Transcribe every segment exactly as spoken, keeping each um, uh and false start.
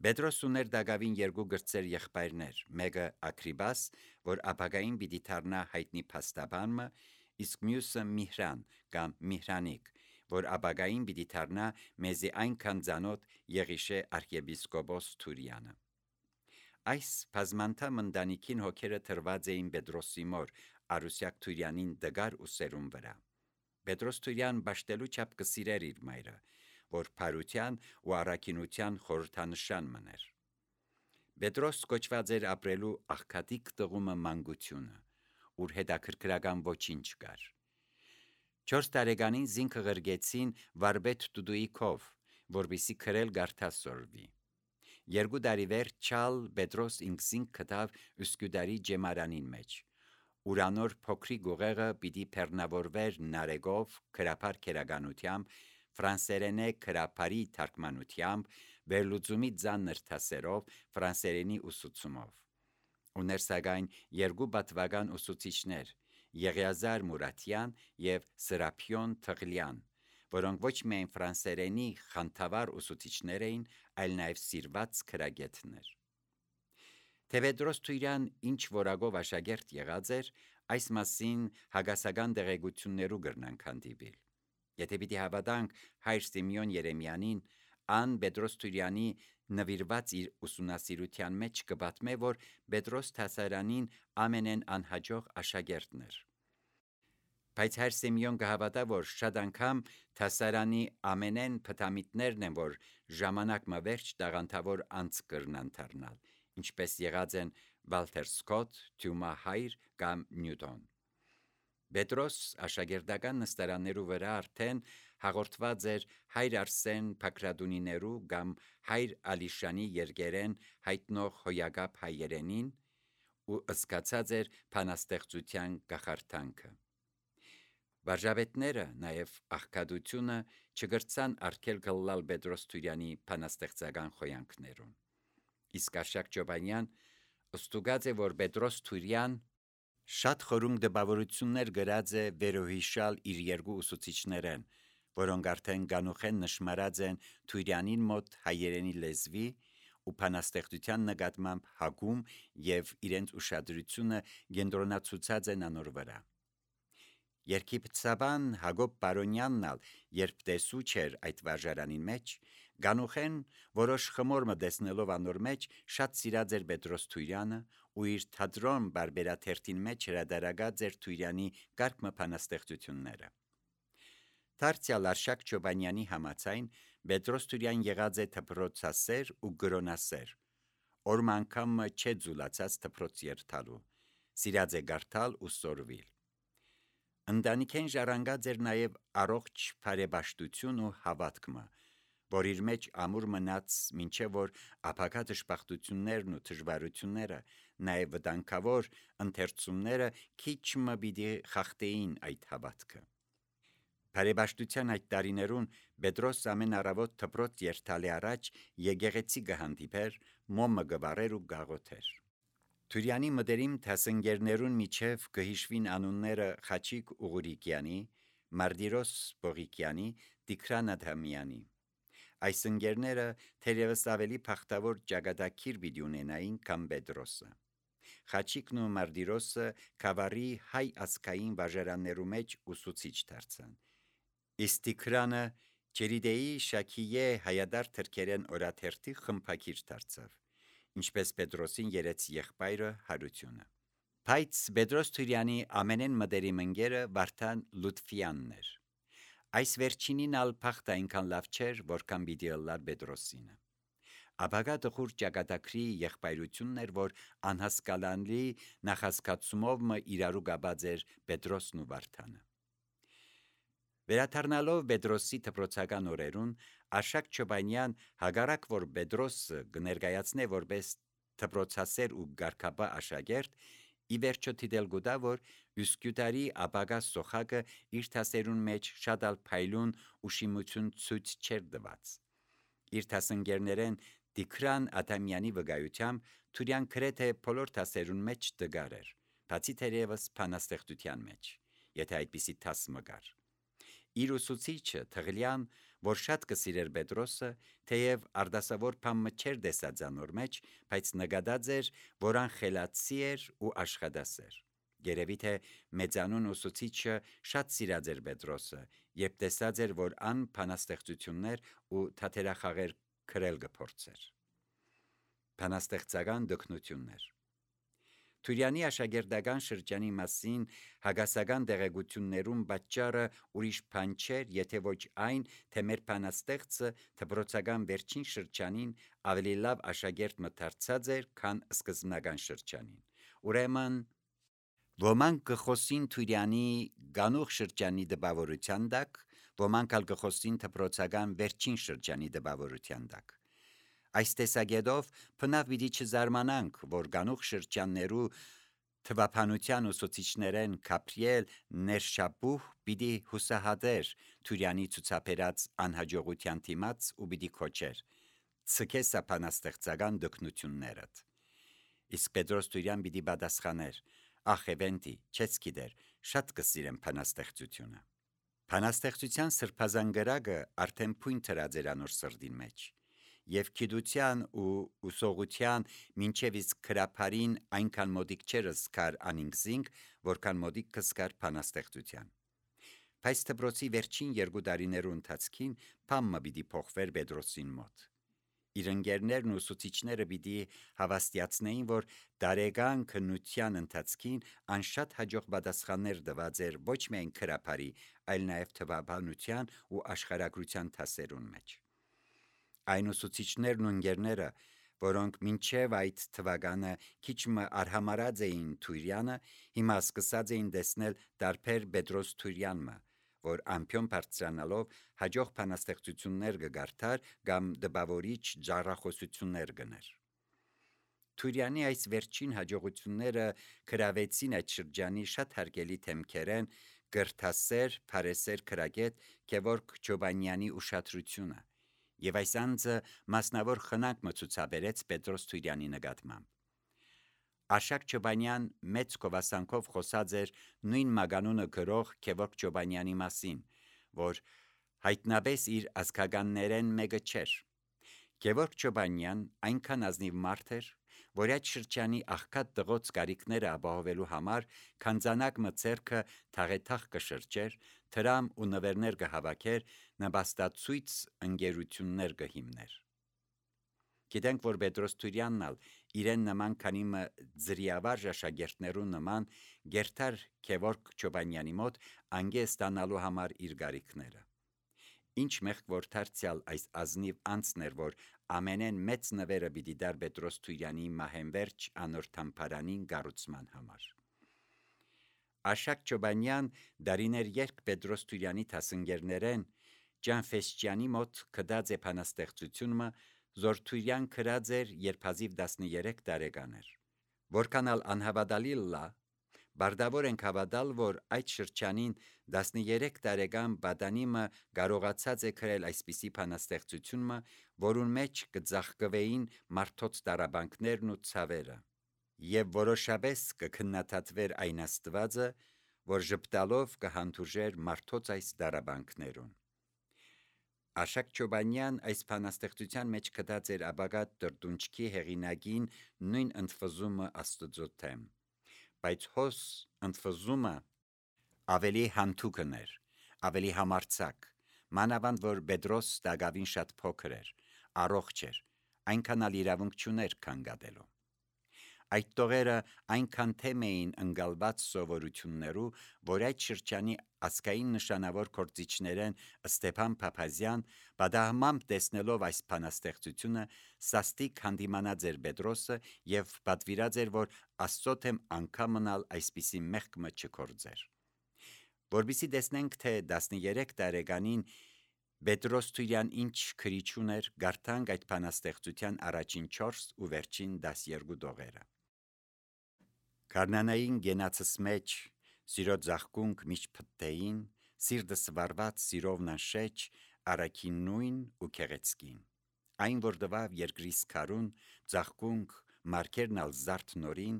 Պետրոս ուներ դակավին երկու գրծեր եղբայրներ, մեկը Ագրիպաս, որ ապագային պիտի դառնա հայտնի փաստաբանը, իսկ մյուսը Միհրան կամ Միհրանիկ, որ ապագային պիտի դառնա մեզի այնքան ծանոթ Եղիշե arczepiskopos Թուրյանը։ Այս բազմանդամ ընտանիքին հոգերը թրված էին Պետրոսի մոր Արուսյակ Թուրյանին դգար ու սերուն վրա։ Պետրոս Թուրյան բաշտելու չափ կսիրեր իր մայրը, որ փարության ու առաքինության խորհրդանշան մներ։ Պետրոս կոչված էր ապրելու աղքատիկ տղումը մանկությունը, ուր հետաքրքրական ոչինչ կար։ Չորս տարեկանին զինքը ղրգեցին վարպետ Դուդուի քով, որպեսզի քրել գարթասորվի։ Երկու տարի վերջ չալ Պետրոս ինքզինք գտավ Üsküdarի ջեմարանին մեջ, ուրանոր փոքրիկ ուղեղը պիտի բեռնավորվեր նարեկով, քրափար քերականությամբ, ֆրանսերենե քրափարի թարգմանությամբ, վերլուծումի ծանր դասերով, ֆրանսերենի ուսուցումով։ Ուներ սակայն երկու պատվական ուսուցիչներ՝ Եղիազար Մուրատյան և Սրափիոն Թղլյան, որոնք ոչ միայն ֆրանսերենի խանդավառ ուսուցիչներ էին, այլ նաև սիրված քրագետներ։ Թե Պետրոս Թուրյան ինչ որակով աշակերտ եղած էր, այս մասին հագասական տեղեկություններու կրնանք հանդիպիլ։ Եթե պիտի հավատանք հայր Սիմեոն Երեմյանին, ան Պետրոս Թուրյանի նվիրված իր ուսումնասիրության մեջ կպատմե, որ Պետրոս դասարանին ամենեն անհաջող աշակերտն էր։ Բայց հայր Սիմեոն կհավատա, որ շատ անգամ դասարանի ամենեն փթամիտներն են, որ ժամանակ մը վերջ տաղանդավոր անց կրնան դառնալ, ինչպես եղած են Վալթեր Սկոտ, Թյումա Հայր կամ Նյուտոն։ Պետրոս աշակերտական նստարաններու վրա արդեն հաղորդված էր հայր Արսեն Փաքրադունիներու կամ հայր Ալիշանի երկերեն հայտնող հոյակապ հայերենին ու ըսկացած էր բանաստեղծության կախարդանքը։ Վարժապետները, նաև աղքատությունը չգրցան արգել գլլալ Պետրոս Թուրյանի բանաստեղծական խոյանքներուն։ Իսկ Արշակ Ջոբանյան ստուգած է, որ Պետրոս Թուրյան շատ խորում դպավորություններ գրած է վերոհիշալ իր երկու ուսուցիչներեն, որոնք արդեն գանուխեն նշմարած են Թուրյանին մոտ հայերենի լեզվի ու բանաստեղծության նկատմամբ հակում և իրենց ուշադրությունը կենտրոնացուցած են անոր վրա։ Երգիպտաբան Հակոբ Պարոնյանն ալ, երբ տեսու չէր այդ վարժարանին մեջ, գանուխեն որոշ խմոր մը տեսնելով անոր մեջ, շատ սիրած էր Պետրոս Թուրյանը ու իր թատրոն բարբերաթերթին մեջ հրադարագած էր Թուրյանի կարգ մը բանաստեղծությունները։ Դարձյալ Արշակ Ջոբանյանի համաձայն Պետրոս Թուրյան եղած է դպրոցասեր ու գրոնասեր, օրմը անգամ մը չէ ձուլացած դպրոց երթալու, սիրած է գարթալ ու սորվիլ։ Ընտանիքեն ժառանգած էր նաև առողջ բարեպաշտություն ու հավատքը, որ իր մեջ ամուր մնաց մինչև որ ապագա դժբախտություններն ու դժվարությունները, նաև վտանգավոր ընթերցումները քիչ մը պիտի խախտեին այդ հավատքը։ Բարեպաշտության այդ տարիներուն Պետրոս ամեն առավոտ դպրոց երթալի առաջ եկեղեցի կհանդիպեր, մոմը կվառեր ու կաղոթեր։ Թուրյանի մտերիմ դասընկերներուն միջև կհիշվին անունները Խաչիկ Ուղուրիկյանի, Մարտիրոս Բողիկյանի, Տիգրան Ադամյանի։ Այս ընկերները թերևս ավելի բախտավոր ճակատագիր պիտի ունենային, քան Պետրոսը։ Խաչիկն ու Մարտիրոսը Քավառի հայ ազգային վարժարաններու մեջ ուսուցիչ դարձան, իսկ Տիգրանը Ջերիդեի Շաքիե հայադար թրքերեն օրաթերթի խմբագիր դարձավ, ինչպես Պետրոսին երեց եղբայրը Հարությունը։ Բայց Պետրոս Թուրյանի ամենեն մտերիմ ընկերը Վարդան Լուտֆյանն էր։ Այս վերջինին ալ փախտ այնքան լավ չէր, որքան պիտի ըլլար Պետրոսինը։ Ապագա տխուր ճակատագրի եղբայրությունն էր, որ անհասկանալի նախազգացումով մը իրարու կապած էր Պետրոսն ու Վարդանը։ Վերադառնալով Պետրոսի դպրոցական օրերուն, Արշակ Ջոբանյան հակառակ որ Պետրոսը կներկայացնե որպես դպրոցասեր ու գարկաբա աշակերտ, ի վերջո դիտել գուտա, որ Üsküdarի ապագա սոխակը իր դասերուն մեջ շատ ալ փայլուն ու շիմություն ցույց չէր տված։ Իր դասընկերներեն Տիգրան Ադամյանի վկայությամբ Թուրյան գրեթե բոլոր դասերուն մեջ տգար էր, բացի թերևս բանաստեղծության մեջ, եթե այդպիսի դաս մը կար։ Իր ուսուցիչը Թղլյան, որ շատ կսիրեր Պետրոսը, թեև արդասավոր փամը չէր դեսածանոր մեջ, բայց նկատած էր, որ ան խելացի էր ու աշխատասեր։ Երևի թե մեծանուն ուսուցիչը շատ սիրած էր Պետրոսը, երբ տեսած էր, որ ան բանաստեղծություններ ու թատերախաղեր քրել կփորձեր։ Բանաստեղծական դկնություններ Թուրյանի աշակերտական շրջանի մասին հագասական տեղեկություններում պատճառը ուրիշ բան չէր, եթե ոչ այն, թե մեր բանաստեղծը դպրոցական վերջին շրջանին ավելի լավ աշակերտ մտածած էր, քան սկզբնական շրջանին։ Ուրեմն ոմանք կխոսին Թուրյանի գանուխ շրջանի դպավորության տակ, ոմանք ալ կխոսին դպրոցական վերջին շրջանի դպավորության տակ։ Այս տեսակետով բնավ պիտի չզարմանանք, որ գանուխ շրջաններու թվափանության ուսուցիչներեն Գաբրիել Ներշապուհ պիտի հուսահատեր Թուրյանի ցուցաբերած անհաջողության դիմաց ու պիտի քոչեր. «Ցկե սա բանաստեղծական դկնություններդ»։ Իսկ Պետրոս Թուրյան պիտի պատասխաներ. «Ախ Էվենտի, չես գիտեր, շատ կսիրեմ բանաստեղծությունը»։ Բանաստեղծության սրբազան գրակը արդեն փույն դրած էր անոր սրտին մեջ, եւ գիտության ու ուսողության մինչև իսկ քրափարին այնքան մոտիկ չէր զգար անինքզինք, որքան մոտիկ կզգար բանաստեղծության։ Բայց դպրոցի վերջին երկու տարիներու ընթացքին բամը պիտի փոխվեր Պետրոսին մոտ։ Իր ընկերներն ու ուսուցիչները պիտի հավաստիացնեին, որ տարեկան քննության ընթացքին ան շատ հաջող պատասխաններ տված էր ոչ միայն քրափարի, այլ նաև թվաբանության ու աշխարհագրության դասերուն մեջ։ Այն ուսուցիչներն ու ընկերները, որոնք մինչև այդ թվականը քիչ մը արհամարած էին Թուրյանը, հիմա սկսած էին տեսնել տարբեր Պետրոս Թուրյանը, որ ամփյոն բարձրանալով հաջող բանաստեղծություններ կգարթար կամ դպավորիչ ջառախոսություններ կներ։ Թուրյանի այս վերջին հաջողությունները գրավեցին այդ շրջանի շատ հարգելի թեմքերեն կրթասեր, փարեսեր քրագետ Գևորգ Չոբանյանի ուշադրությունը, եւ այս անձը մասնավոր խնամք մը ցուցաբերեց Պետրոս Թուրյանի նկատմամբ։ Աշակ Չոբանյան մեծ գովասանքով խոսած էր նույն մագանունը գրող Գևորգ Չոբանյանի մասին, որ հայտնաբես իր ազգականներեն մեկը չէր։ Գևորգ Չոբանյան այնքան ազնիվ մարդ էր, որ այդ շրջանի աղքատ տղոց կարիքները ապահովելու համար քանձանակ մը ձեռքը թաղեթաղ կշրջեր, թրամ ու նվերներ կհավաքեր, նպաստացույց ընկերություններ կհիմներ։ Գիտենք, որ Պետրոս Թուրյանն ալ իրեն նման քանի մը ձրիավարժ աշակերտներու նման գերտար Գևորգ Չոբանյանի մոտ անգե ստանալու համար իր կարիքները։ Ինչ մեղք որ դարձյալ այս ազնիվ անձն էր, որ ամենեն մեծ նվերը պիտի դար Պետրոս Թուրյանի մահենվերջ անոր թամփարանին կառուցման համար։ Աշակ Չոբանյան դարիներ երկ Պետրոս Թուրյանի դասընկերներեն Ջանֆեսճյանի մոտ կդած է բանաստեղծությունը, զոր Թուրյան գրած էր, երբ հազիվ տասներեք տարեկան էր։ Որքան ալ անհավատալի լա, բարդավոր ենք հավատալ, որ այդ շրջանին տասներեք տարեկան պատանիմը կարողացած է գրել այսպիսի բանաստեղծությունը, որուն մեջ կծաղկվեին մարդոց տառապանքներն ու ցավերը, եւ որոշապես կքննադատվեր այն Աստվածը, որ ժպտալով կհանդուրժեր մարդոց այս տառապանքներուն։ Աշակ Չոբանյան այս բանաստեղծության մեջ կդած էր ապագա տրտունջքի հեղինակին նույն ընդվզումը Աստծո թեմ, բայց հոս ընդվզումը ավելի հանթուկն էր, ավելի համարձակ, մանավանդ որ Պետրոս տագավին շատ փոքր էր, առողջ էր, այնքան ալ իրավունք չուներ քանգատելու։ Այդ տողերը այնքան թեմ էին ընկալված սովորություններու, որ այդ շրջանի ազգային նշանավոր գործիչներեն Ստեփան Փափազյան պատահմամբ տեսնելով այս բանաստեղծությունը սաստիկ հանդիմանած էր Պետրոսը եւ պատվիրած էր, որ Աստծո թեմ անգամնալ այսպիսի մեղքը չկործեր։ Որպեսզի տեսնենք, թե տասներեք տարեկանին Պետրոս Թուրյան ինչ քրիչ ուներ, գարթանք այդ բանաստեղծության առաջին չորս ու վերջին տասներկու տողերը։ Գարնանային գենացս մեջ սիրո ձաղկունք միշտ փթթեին, սիրտս վարված սիրովն անշեջ, առաքին նույն ու քեղեցկին։ Այն որ տվավ երկրիս քարուն, ձաղկունք մարգերն ալ զարդ նորին,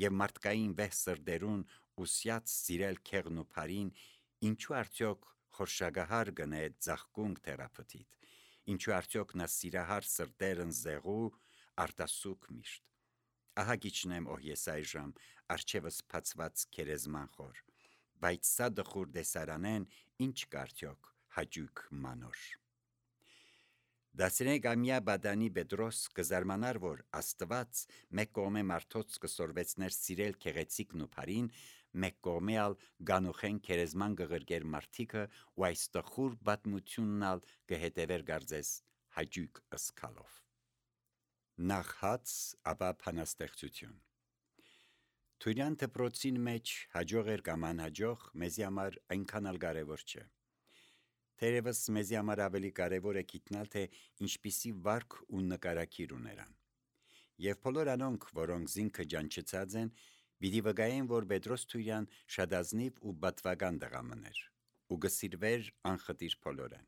եւ մարդկային վեհ սրդերուն ուսյաց սիրել քեղն ու փարին, ինչու արդյոք խորշագահար գնե ձախկունք թերապտիտ, ինչու արդյոք նա սիրահար սրտերն զեղու արտասուք միշտ։ Ահա գիչնեմ օհ ես այժմ արջևս փացված քերեզման խոր, բայց սա դխուր դեսարանեն ինչ կարդյոք հաճույք մանոր։ Դասրեկ ամյա բադանի Պետրոս կզարմանար, որ Աստված մեկ կողմե մարդոց կսորվեցներ սիրել քեղեցիկն ու բարին, մեկ կողմե ալ գանուխեն քերեզման գղրգեր մարդիկը ու այս տխուր բադմությունն ալ կհետևեր գարձես հաճույք ըսկալով։ Նախ հաց, ապա փանաստեղծություն։ Թուրյան դպրոցին մեջ հաջող էր կամ անհաջող մեզի համար այնքան ալ կարևոր չէ։ Թերևս մեզի համար ավելի կարևոր է գիտնալ, թե ինչպիսի վարք ու նկարակիր ուներան։ Եվ բոլոր անոնք, որոնք զինքը ջանչծած են, պիտի վկայեն, որ Պետրոս Թուրյան շատ ազնիվ ու բատվական դղամն էր, ու գսիրվեր անխտիր բոլորեն։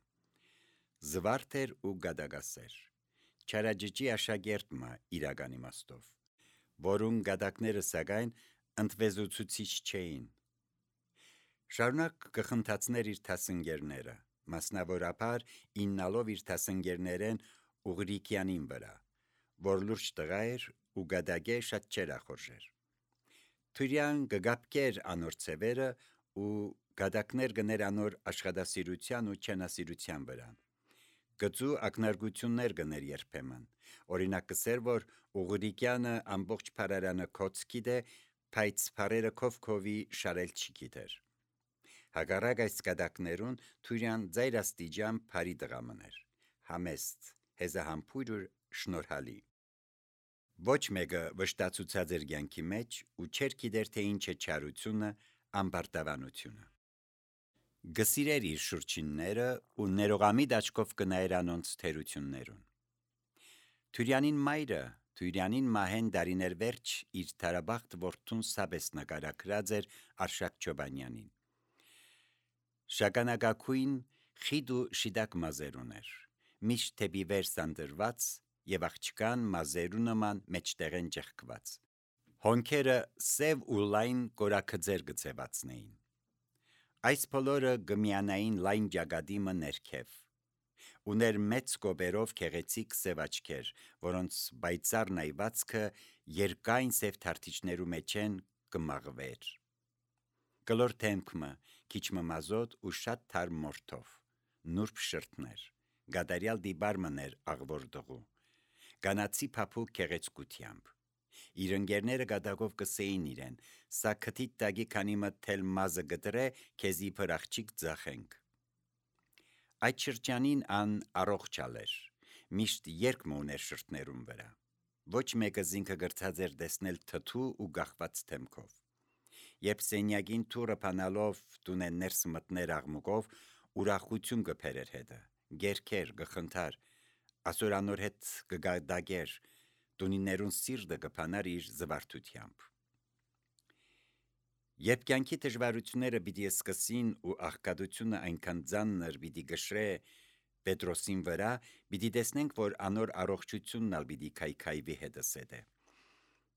Զվարթ էր ու գադագասեր, չարաջճի աշակերտ մը իրական իմաստով, որուն գադակները սակայն ընդվեզուցուցիչ չէին։ Շարունակ կխնդացներ իր թասընկերները, մասնավորապես իննալով իր թասընկերներեն Ուղրիկյանին վրա, որ լուրջ տղա էր ու գադագե շատ չեր ախորժեր։ Թուրյան կգապկեր անոր ցևերը ու գադակներ գներ անոր աշխատասիրության ու չենասիրության վրա։ Գծու ակնարկություններ գներ երբեմն, օրինակ կսեր, որ Ուղրիկյանը ամբողջ փարարանը կոց գիտե, բայց փարերը քով-քովի շարել չի գիտեր։ Հակառակ այս գադակներուն Թուրյան ձայրաստիճան բարի դղամն էր, համեստ, հեզահամբույր ու շնորհալի։ Ոչ մեկը վշտացուցած էր կյանքի մեջ ու չէր գիտեր, թե ինչ է չարությունը, ամբարտավանությունը։ Գսիրեր իր շուրջինները ու ներողամիտ աչքով կնայեր անոնց թերություններուն։ Թուրյանին մայրը, Թուրյանին մահեն դարիներ վերջ իր թարաբախտ որդուն սաբես նկարագրած էր Արշակ Չոբանյանին։ Շագանակագույն խիտ ու շիտակ մազեր ուներ, միշտ թեպի վեր սանդրված եւ աղջկան մազերու նման մեջտեղեն ճեղքված։ Հոնքերը սև ու լայն կորակձեր գծեվածնեին։ Այս բոլորը գմյանային լայն ճակատիմը ներքև։ Ուներ մեծ կոպերով քեղեցիկ սև աչքեր, որոնց բայցար նայվածքը երկայն սև թարթիչներու մեջ են կմաղվեր։ Կլոր թեմքմը, քիչ մազոտ ու շատ թարմ մորթով, նուրբ շրթներ, գադարյալ դիբարմներ աղվոր դղու, կանացի փափուկ քեղեցկությամբ։ Իր ընկերները գադակով կսեին իրեն, սա քթիտ տագի քանի մթել մազը գտրե, քեզի փրախճիկ ձախենք։ Այդ շրջանին ան առողջալ էր, միշտ երկ մոներ շրթներում վրա։ Ոչ մեկը զինքը գրծած էր դեսնել թթու ու գախված թեմքով։ Երբ սենյակին թուրը փանալով տունեն ներս մտներ աղմուկով, ուրախություն կփերեր հետը, գերքեր, գխնդար, ասոր անոր հետ կգադագեր, տունիներուն սիրտը կփանար իր զվարթությամբ։ Երբ կյանքի դժվարությունները պիտի սկսին ու աղքատությունը այնքան ծանր պիտի գշրե Պետրոսին վրա, պիտի տեսնենք, որ անոր առողջությունն ալ պիտի քայքայվի հետս հետե։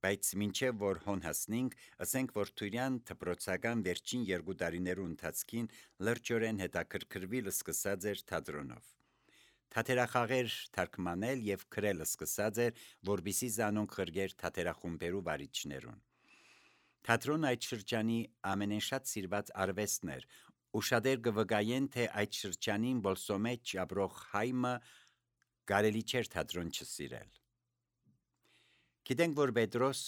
Բայց մինչև որ հոն հասնենք, ասենք, որ Թուրյան դպրոցական վերջին երկու տարիներու ընթացքին լրջորեն հետաքրքրվել սկսած էր թատրոնով։ Թատերախաղեր թարգմանել եւ գրել սկսած էր, որբիսի զանոնք խրգեր թատերախումբերու վարիչներուն։ Թատրոնը այդ շրջանի ամենաշատ սիրված արվեստն էր, ու շատեր կվկայեն, թե այդ շրջանին բոլսո մեջ ապրող հայմը կարելի չէր թատրոն չսիրել։ Գիտենք, որ Պետրոս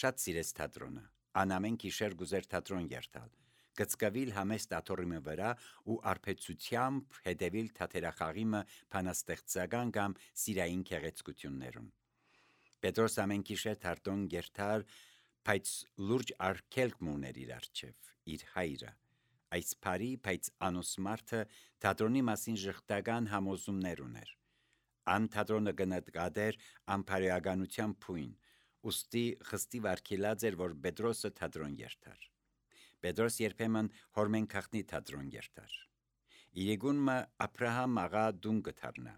շատ սիրեց թատրոնը, անամեն գիշեր գուզեր թատրոն երթալ, գծկվիլ համեստ աթոռիմը վրա ու արբեցությամբ հետևիլ թատերախաղիմը փանաստեղծական կամ սիրային քեղեցկություններուն։ Պետրոս ամեն գիշեր թատրոն երթար, բայց լուրջ արգելք մուներ իր առջև, իր հայրը, այս բարի, բայց անուս մարդը թատրոնի մասին ժխտական համոզումներ ուներ։ Ան թատրոնը գնահատեր անփարեականության փույն, ուստի խստի վարքելած էր, որ Պետրոսը թատրոն երթար։ Պետրոս երբեմն հորմեն քաղտնի թատրոն երթար։ Իրեգունը Աբրահամ աղա դուն գթարնա։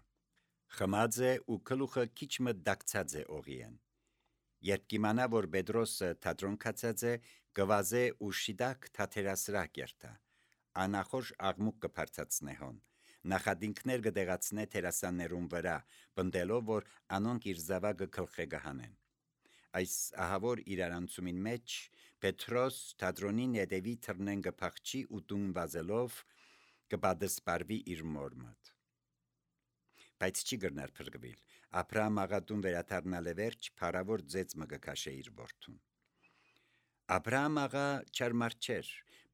Խմած է ու գլուխը քիչ մը դակցած է օղիեն։ Երբ կիմանա, որ Պետրոսը թատրոն կացած է, գվազե ու շիտակ թատերասրահ երթա, անախորժ աղմուկ կբարձրացնե հոն, նախադինքներ կդեղացնե թերասաններուն վրա, պնդելով, որ անոնք իր զավակը գլխե կհանեն։ Այս ահավոր իրարանցումին մեջ Պետրոս թատրոնին հետևի թռնեն կփախչի ու տուն վազելով կպատասպարվի իր մոր մոտ։ Բայց չի գրնար փրկվել, Աբրահամ աղատուն վերադառնալ է վերջ, փարավոր ձեծ մը կքաշե իր որդուն։ Աբրահամ աղա չարմար չէր,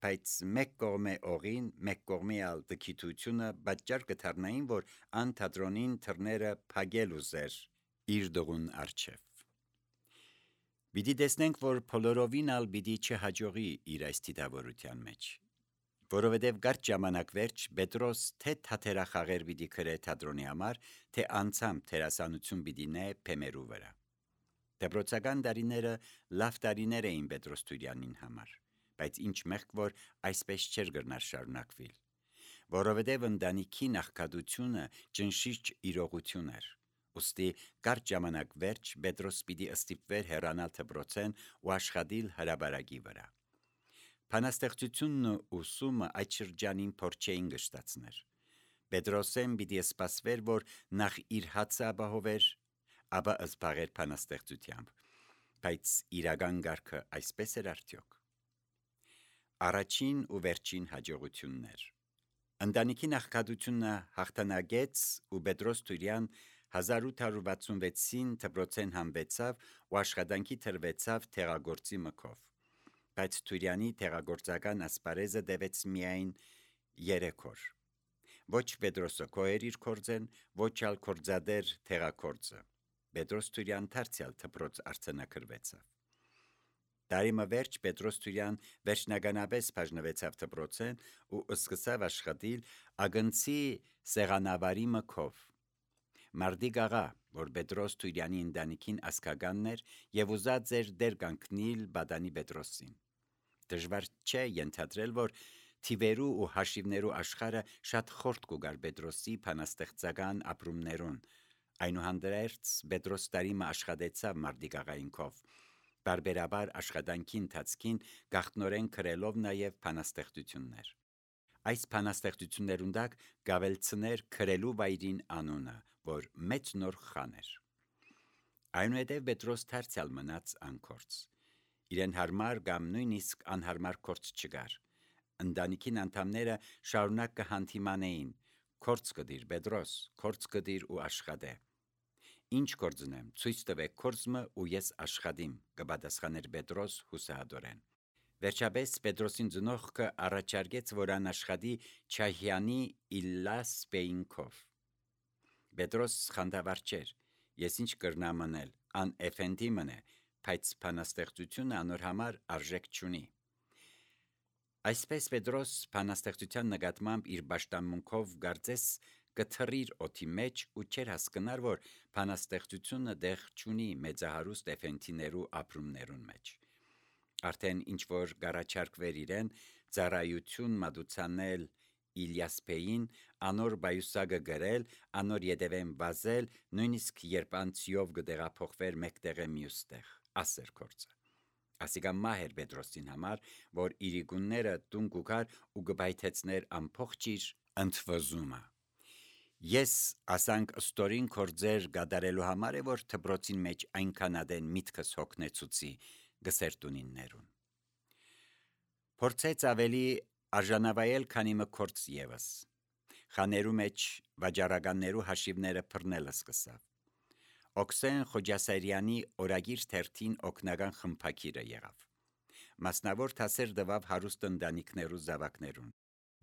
բայց մեկ կողմե օղին, մեկ կողմի ալ դքիթությունը պատճառ կդառնային, որ ան թատրոնին թռները փագել ուզեր իր դողուն առջև։ Պիտի տեսնենք, որ բոլորովին ալ պիտի չհաջողի իր այս դիտավորության մեջ, որովհետև կարճ ժամանակ վերջ Պետրոս թե թատերախաղեր պիտի գրե թատրոնի համար, թե անցամբ թերասանություն պիտի նե փեմերու վրա։ Դպրոցական տարիները լավ տարիներ էին Պետրոս Տուրյանին համար, բայց ինչ մեղք, որ այսպես չէր գրնար շարունակվել, որովհետև ընտանիքի նախկատությունը ճնշիչ իրողություն էր։ Ուստի կարճ ժամանակ վերջ Պետրոս պիտի ստիպվեր հեռանալ դպրոցեն ու աշխատել հրապարակի վրա։ Բանաստեղծությունն ու ուսումը այդ շրջանին փոր չէին կշտացներ։ Պետրոսեն պիտի սպասվեր, որ նախ իր հացը ապահովեր, ապա զբաղեր բանաստեղծությամբ, բայց իրական կարգը այսպես էր արդյոք։ Առաջին ու վերջին հաջողություններ։ Ընտանիքի նախկատությունը հաղթանակեց ու Պետրոս Տուրյան հազար ութ հարյուր վաթսունվեցին դպրոցեն համբեցավ ու աշխատանքի թրվեցավ թեղագործի մքով, բայց Տուրյանի թեղագործական ասպարեզը տևեց միայն երեք օր։ Ոչ Պետրոսը քոհեր իր կորձեն, ոչ ալ կորձադեր թեղագործը։ Պետրոս Տուրյան դարձյալ դպրոց արձանագրվեցավ։ Տարիմը վերջ Պետրոս Տուրյան վերջնականապես բաժնվեցավ դպրոցեն ու սկսավ աշխատել ագնցի սեղանավարի մքով։ Մարդիկ աղա, որ Պետրոս Տուրյանի ընտանիքին ասկականն էր եւ ուզած էր դեր կանգնել Բադանի Պետրոսին։ Դժվար չէ ենթադրել, որ թիվերու ու հաշիվներու աշխարհը շատ խորտ կուգար Պետրոսի բանաստեղծական ապրումներուն։ Այնուհանդերձ Պետրոս տարիմը աշխատեցավ մարդիկ աղայինքով, բարբերաբար աշխատանքի ընթացքին գաղտնորեն գրելով նաև բանաստեղծություններ։ Այս բանաստեղծություններուն տակ գավելցներ գրելու վայրին անունը, որ մեծ նոր խան էր։ Այնուհետև Պետրոս դարձյալ մնաց անկորձ։ Իրեն հարմար կամ նույնիսկ անհարմար կորձ չկար։ Ընտանիքին անդամները շարունակ կհանդիմանեին. «Կորձ կդիր Պետրոս, կորձ կդիր ու աշխատե»։ «Ինչ կորձնեմ, ցույց տվեք կորձը ու ես աշխատիմ», կպատասխաներ Պետրոս հուսահատորեն։ Վերջապես Պետրոսին ծնողքը առաջարկեց, որ ան աշխատի Չահյանի Իլլաս Բեյինքով։ Պետրոս խանդավառ չէր. «Ես ինչ կրնամ անել, ան էֆենդի մնե, բայց բանաստեղծությունը անոր համար արժեք չունի»։ Այսպես Պետրոս բանաստեղծության նկատմամբ իր պաշտամունքով կարծես կթռիր օդի մեջ ու չէր հասկնար, որ բանաստեղծությունը տեղ չունի մեծահարուստ էֆենդիներու ապրումներուն մեջ։ Արդեն ինչ որ կառաջարկվեր իրեն ծառայություն մատուցանել Իլյասպեին, անոր բայուսակը գրել, անոր ետևեն վազել, նույնիսկ երբ անցիով կտեղափոխվեր մեկտեղը մյուստեղ, ասեր կորձը։ Ասիկա մահ էր Պետրոսին համար, որ իրիկունները տուն կուքար ու կբայթեցներ ամփոխ իր ընդվզումը։ Ես ասանք ստորին կորձեր գադարելու համար է, որ դպրոցին մեջ այնքան ադեն միտքս հոգնեցուցի գսեր տունիններուն։ Փորձեց ավելի արժանավայել, քանի մը կորձ ևս։ Խաներու մեջ վաճառականներու հաշիվները բռնելը սկսավ։ Օքսեն Խոջասարյանի օրագիր թերթին օգնական խմբակիրը եղավ։ Մասնավոր դասեր տվավ հարուստ ընտանիքներու զավակներուն։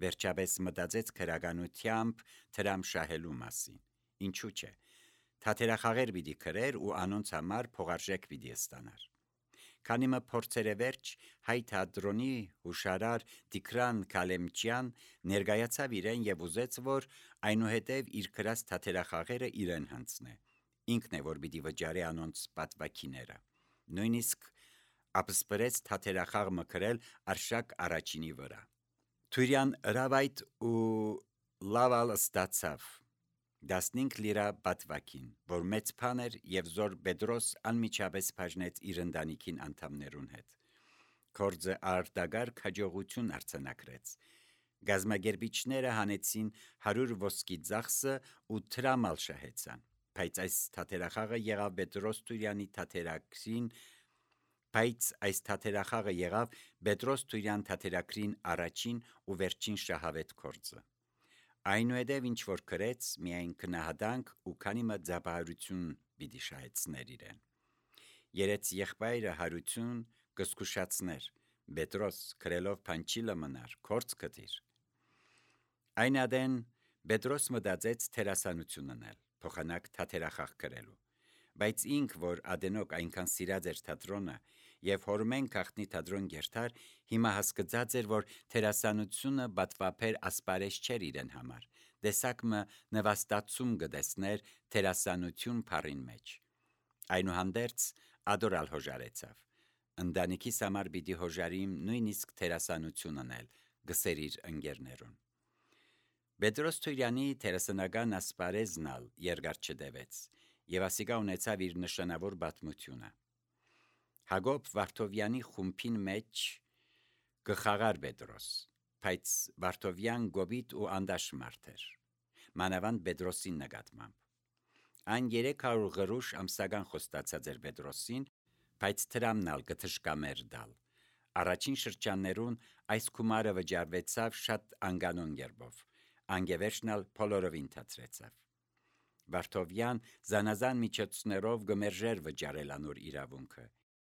Վերջապես մտածեց քրականությամբ դրամ շահելու մասին։ Ինչու՞ չէ։ Թատերախաղեր պիտի գրեր ու անոնց համար փողարժեք պիտի ստանար։ Քանի մը փորձերը վերջ, հայ թատրոնի հուշարար Տիգրան Քալեմջյան ներկայացավ իրեն եւ ուզեց, որ այնուհետև իր գրած թատերախաղերը իրեն հանձնե։ Ինքն է, որ պիտի վճարի անոնց պատվակիները։ Նույնիսկ ապսպրեց թատերախաղ մը գրել Արշակ առաջինի վրա։ Տուրյան հրավայտ ու լավալ ստացավ տասնհինգ լիրա պատվակին, որ մեծ բան էր եւ զոր Պետրոս անմիջապես բաժնեց իր ընտանիքին անդամներուն հետ։ Կորձը արտագար հաջողություն արձանագրեց։ Գազագերբիչները հանեցին հարյուր ոսկի ծախսը ու տրամալ շահեցան, բայց այս թատերախաղը եղավ Պետրոս Տուրյանի թատերակրին Բայց այս թատերախաղը եղավ Պետրոս Տուրյան թատերակրին առաջին ու վերջին շահավետ գործը։ Այնուհետև ինչ որ գրեց, միայն քնահատանք ու քանի մը ձապահարություն պիտի շահեցներ իրեն։ Երեց եղբայրը հարություն կսկուշացներ, Պետրոս գրելով փանչիլը մնար, կորց կտիր։ Այն ադեն Պետրոս մտածեց թերասանություն անել, փոխանակ թատերախաղ գրելու, բայց ինք, որ ադենոք այնքան սիրած էր թատրոնը եւ հորմեն քաղտնի թատրոն գերտար, հիմա հասկացած էր, որ թերասանությունը բատվապեր ասպարեզ չէր իրեն համար, դեսակ մը նվաստացում գտեսներ թերասանություն փառին մեջ։ Այնուհանդերձ ադորալ հոժարեցավ, ընտանիքիս համար պիտի հոժարիմ նույնիսկ թերասանություն անել, գսեր իր ընկերներուն։ Պետրոս Տուրյանի թերասանական ասպարեզն ալ երկար չտևեց, եւ ասիկա ունեցավ իր նշանավոր պատմությունը։ Հակոբ Վարդովյանի խումբին մեջ գխաղար Պետրոս, բայց Վարդովյան գոբիտ ու անդաշ մարդ էր, մանավանդ Պետրոսին նկատմամբ։ Այն երեք հարյուր գրուշ ամսական խոստացած էր Պետրոսին, բայց տրամն ալ կթշկամեր դալ։ Առաջին շրջաններուն այս գումարը վճարվեցավ շատ անկանոն կերպով, անգևերջնալ բոլորովին թացրեցավ։ Վարդովյան զանազան միջոցներով գմերժեր վճարել անոր իրավունքը,